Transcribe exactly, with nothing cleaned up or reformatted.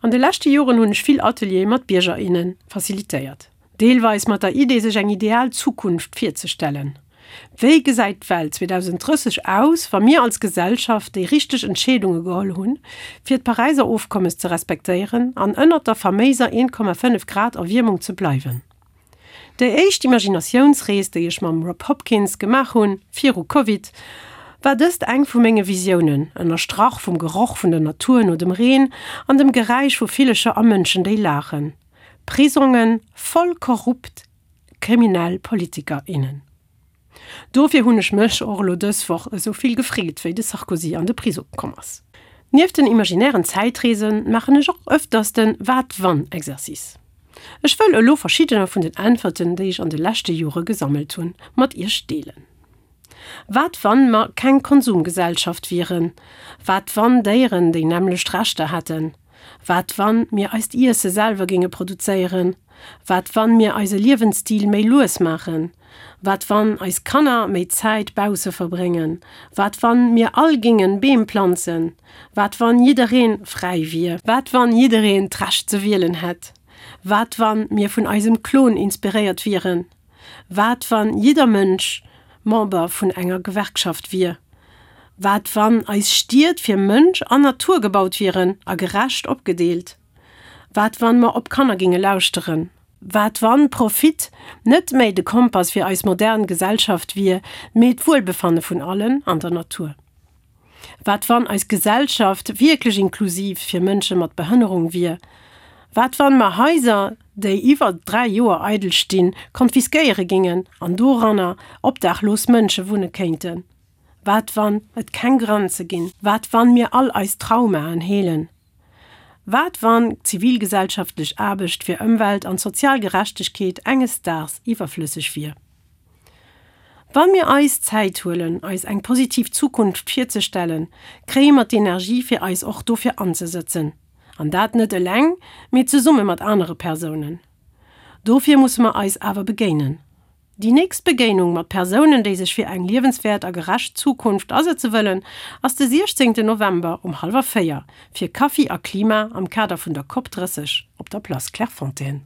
An de leschte Joren hunn ech vill Ateliere mat Bierger, innen facilitéiert. Deelweis mat der Idee sech eng ideal Zukunft virzestellen. Wéi gesäit d'Welt zweedausenddrësseg aus, wa mir als Gesellschaft déi richteg Entscheedunge geholl hunn, fir d'Paräiser Ofkommes ze respektéieren an ënnert der faméiser een Komma fënnef Grad Erwiermung ze bleiwen? Déi éischt Imaginatiounsrees, déi ech mam Rob Hopkins gemaach hunn, viru Covid, war dëst eng vu menge Visiounen, ënnerstrach vum Geroch vun der Natur no dem Reen an dem Geräisch vu Villecher a Mënschen, déi laachen. Prisongen voll korrupt, kriminell Politiker, innen. Dofir hunn ech mech och elo dës Woch esou vill gefreet, wéi de Sarkozy an de Prisong komm ass. Nieft den imaginären Zäitreesen maachen ech och ëfters den Wat-wann-Exercice. Ech wëll elo verschiddener vun den Äntwerten, déi ech an de leschte Jore gesammelt hunn, mat iech deelen. Wat wann mer keng Konsumgesellschaft wieren? Wat wann Déieren déi nämmlecht Rechter hätten? Wat wann mir eist Iesse selwer géinge produzéieren? Wat wann mir eise Liewensstil méi lues maachen? Wat wann eis Kanner méi Zäit bausse verbréngen? Wat wann mir all géingen Beem planzen? Wat wann jiddereen fräi wier? Wat wann jiddereen d'Recht ze wielen hätt? Wat wann mir vun eisem Klon inspiréiert wieren? Wat wann jidder Mënsch Member vun enger Gewerkschaft wier? Wat wann eis Stied fir Mënsch an Natur gebaut wieren a gerecht opgedeelt? Wat wann mer op Kanner ginge lauschteren? Wat wann Profit net méi de Kompass fir eis modern Gesellschaft wier, mee d'Wuelbefanne vun allen an der Natur? Wat wann eis Gesellschaft wierklech inklusiv fir Mënsche mat Behënnerung wier? Wat wann mer Haiser, déi iwwer dräi Joer eidel stinn, konfiskéiere gingen an doranner obdaachlos Mënsche wunne kéinten? Wat wann et keng Grenze ginn? Wat wann mir all eis Traumaen heelen? Wat wann zivilgesellschaftlech Aarbecht fir Ëmwelt an sozial Gerechtegkeet enges Daags iwwerflësseg wier? Wann mir eis Zäit huelen, eis eng positiv Zukunft virzestellen, kréie mer d'Energie fir eis och dofir anzesëtzen. An dat net eleng, mee zesumme mat anere Persounen. Dofir musse mer eis awer begéinen. Déi nächst Begéinung mat Persounen, déi sech fir eng liewenswäert a gerecht Zukunft asetze wëllen, ass de siechzéngten November um hallwer véier fir Kaffi a Klima am Kader vun der Cop drësseg op der Place Clairefontaine.